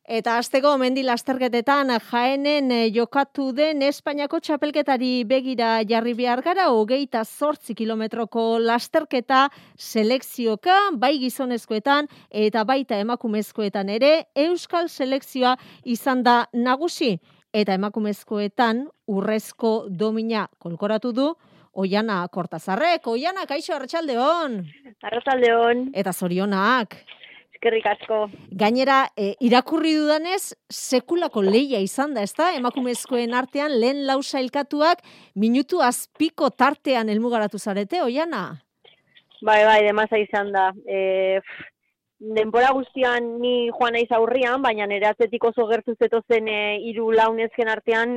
Eta hasteko mendi lasterketetan Jaenen jokatu den Espainiako txapelketari begira jarri behar gara, 28 kilometroko lasterketa selekzioka, bai gizonezkoetan eta baita emakumezkoetan ere, Euskal selekzioa izan da nagusi. Eta emakumezkoetan urrezko domina kolkoratu du Oiana Kortazarrek. Oiana, kaixo, arratsaldeon. Arratsaldeon. Eta zorionak. Eskerrik asko. Gainera, irakurri dudanez, sekulako lehia izan da, ezta? Emakumezkoen artean lehen lau sailkatuak minutu azpiko tartean helmugaratu zarete, Oiana? Bai, demasa izan da. Denbora guztian ni joan naiz aurrian, baina nire atzetik oso gertu zetozen 3 nezken artean,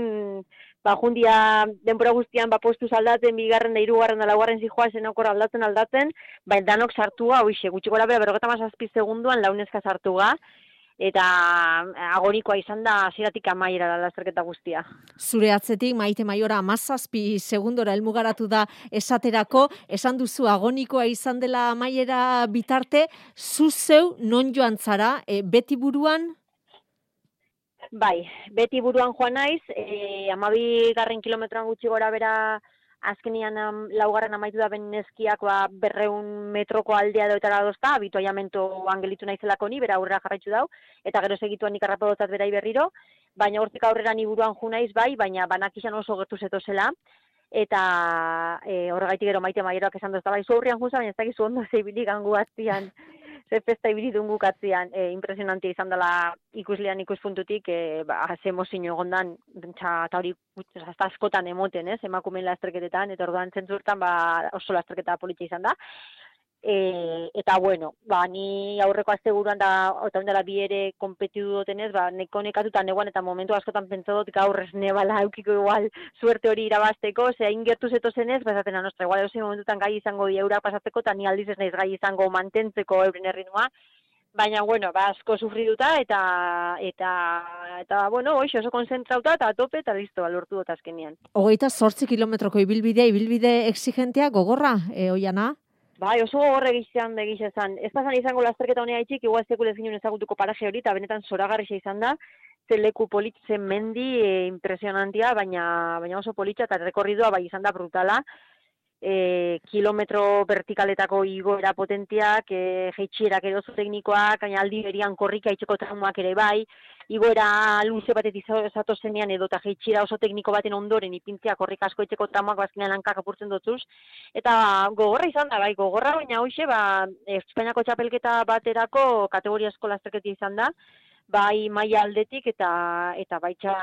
jundia denbora guztian postu aldaten, 2. da 3. da 4. zijoa zenokor aldatzen, danok sartua, gutxi gora bera 57 segunduan 4 nezka sartuga, eta agonikoa izan da hasieratik amaiera lasterketa guztia. Zure atzetik Maite Maiora 17 segundora helmugaratu da esaterako, esan duzu agonikoa izan dela amaiera bitarte, zu zeu non joan zara, beti buruan? Bai, beti buruan joan naiz, 12. kilometroan gutxi gora bera azkenian 4. amaitu da ben neskiak 200 metroko aldea doetara dozta, habituaiamentoan gelitu naizelako ni, bera aurrera jarraitzu dau, eta gero segituan nik arrapadotzat berai berriro, baina hortik aurrera ni buruan ju naiz bai, baina banakizan oso gertu zetozela, eta horregaitik gero Maite Maieroak esan dozta, bai, zu aurrian juza, baina ez dakizu ondo zeibilik gangu atzian, ze festa ibili dungu katzian, impresionantia izan dela ikuslean ikuspuntutik, ze emozio egondan, eta hori askotan emoten, emakumeen lasterketetan, eta orduan zentzurtan oso lasterketa politxa izan da. Eta bueno, ni aurreko asteburuan eta ondela bi ere konpetitu dutenez, neko nekatuta neguan eta momentu askotan pentsa dut gaur ez nebala eukiko igual suerte hori irabazteko, ze hain gertu zetozenez, esaten nostra, igual eusen momentutan gai izango di eurak pasatzeko, eta ni aldiz ez naiz gai izango mantentzeko euren erritmoa, baina, bueno, asko sufriduta, eta bueno, oso konzentrauta, eta tope, eta listo, lortu dut azkenean. 28 kilometroko ibilbide exigentea gogorra, Oiana? Bai, oso gogorra egizan. Ez pasan izango lasterketa honea itxik, igual sekulez ginen ezagutuko paraje hori, eta benetan zoragarrixa izan da, ze leku politzen mendi impresionantia, baina oso politxa, eta rekorridua bai izan da brutala, kilometro vertikaletako igoera potentiak, jeitxierak ere oso teknikoak, aldi berian korrika itxeko traumak ere bai, igoera luze batetik zatozenean edo eta jeitxiera oso tekniko baten ondoren ipintzea korrika asko itxeko traumak bazkinean hankak apurtzen dutuz, eta gogorra izan da, bai, gogorra, baina hoxe, Espainiako txapelketa baterako kategoria asko lasterketa izan da, bai maila aldetik eta baitxa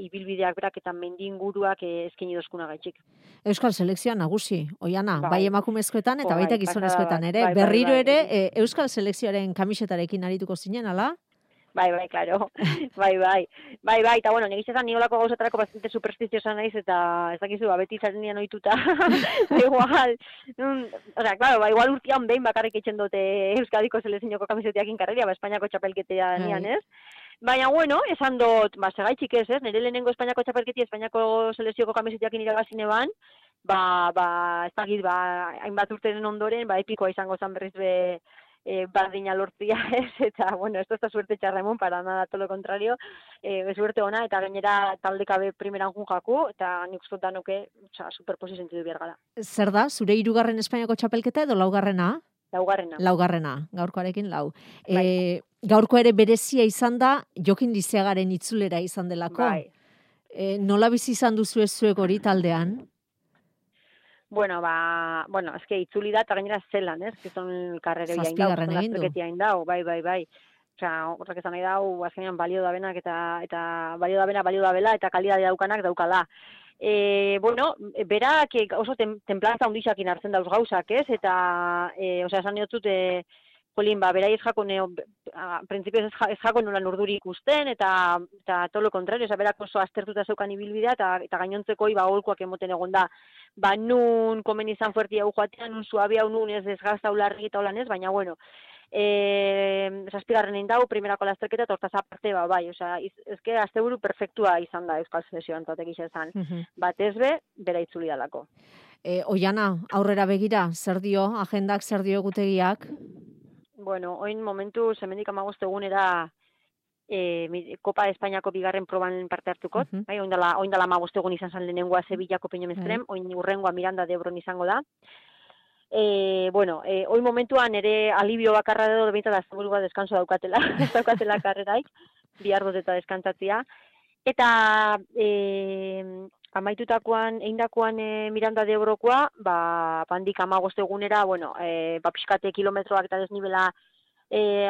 ibilbideak berak eta mendi inguruak eskaini dozkuna gaitxik. Euskal selekzioa nagusi, Oiana, bai emakumezkoetan eta baita gizonezkoetan ere. Berriro ere Euskal selekzioaren kamisetarekin arituko zinen, ala? Bai, claro. Bai, eta bueno, negizezan niolako gauzatarako bastante superstiziosa naiz, eta ez dakizu, beti zaren nian ohituta. Igual, igual urtean behin bakarrik eitzen dute Euskadiko selekzioko kamisetiakin karreria, Espainiako txapelketea nian, ez? Baina, bueno, esan dut, segaitxik ez, nire lehenengo Espainiako txapelketia, Espainiako selekzioko kamisetiakin iragazine ban, ez dakit, hainbat urteren ondoren, epikoa izango zan berriz bardina lortzia, eta, bueno, esto está suerte txarremon, para nada, todo lo contrario, suerte ona, eta gainera taldekabe primeran junjaku, eta nik uste danuke, superposi sentidu behar gara. Zer da, zure 3. Espainiako txapelketa edo 4.? Laugarrena, gaurkoarekin 4. Gaurko ere berezia izan da, Jokin Lizeagaren itzulera izan delako. Bai. Nola bizi izan duzu ez zuek hori taldean? Bueno, eske itzuli da, eta gainera zelan, gizon karrere hain dau, lasterketi hain dau, bai. Osea, horrek esan nahi dau, azkenean balio da benak, eta balio da bela, eta kalidade daukanak daukala. Berak oso templantza hundixakin hartzen dauz gauzak, eta, esan diotzut, berai ez jako, prinsipioz ez jako nola urduri ikusten, eta todo lo contrario, berak oso aztertuta zeukan ibilbidea, eta gainontzeko golkoak emoten egon da. Nun komen izan fuerti hau joatean, nun suabia, nun ez desgazta ularri eta holan ez, baina, bueno, 7. indau, primerako lasterketa, eta hortaz aparte, bai, ezke asteburu perfektua izan da Euskal Selekzioan, tatek izan. Batez bera itzuli dalako. Oiana, aurrera begira, zer dio, agendak, zer dio egutegiak? Bueno, oin momentu, hemendik 15 egunera Kopa Espainiako bigarren proban parte hartukot, bai, oindala 15 egun izan zen lehenengoa Sevillako Peñomestrem, oin urrengoa Miranda de Ebron izango da. Hoi momentuan ere alibio bakarra edo bintzat asteburua deskanso daukatela, ez daukatela karreraik, bihar eta deskantzatzia. Eta amaitutakoan, eindakoan Miranda de Ebrokoa, handik 15 egunera, pixkate kilometroak eta desnibela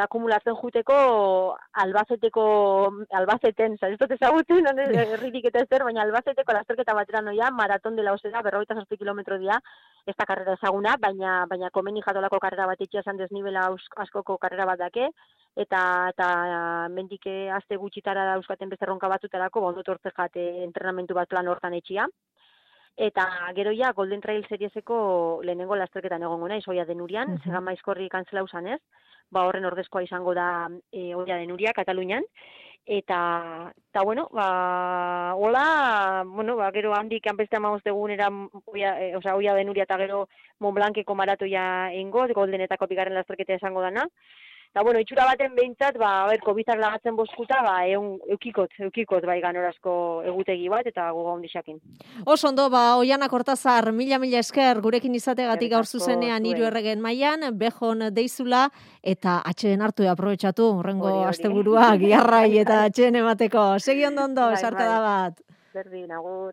akumulatzen juteko Albaceten, ez dut ezagutzen, herririk eta ezer, baina Albaceteko lasterketa batera noia, maraton dela osera, 48 kilometro dira, ez da karrera ezaguna, baina komeni jatolako karrera bat itxia esan desnibela askoko karrera bat dake, eta mendik aste gutxitara dauzkaten beste erronka batzutarako, ondot hortze jate entrenamentu bat plan hortan etxia. Eta gero ja Golden Trail Serieseko lehenengo lasterketan egongo naiz, Oia Denurian, Zegan Maizkorri kantzela usan ez, horren ordezkoa izango da Oia Denuria, Katalunian, eta gero handik beste 15 egunera Oia Denuria eta gero Montblanceko maratoia eingo, Goldenetako bigarren lasterketa izango dana. Eta, itxura baten behintzat, COVID-ak lagatzen boskuta, eukikot ganorazko egutegi bat, eta goga hondixakin. Oso ondo, Oiana Kortazar, mila esker gurekin izategatik gaur zuzenean 3 erregen mailan, bejon deizula, eta atxeden hartu aprobetxatu, horrengo asteburua, giarrai eta atxeden emateko. Segi ondo, esarkada bat. Berdin, agur.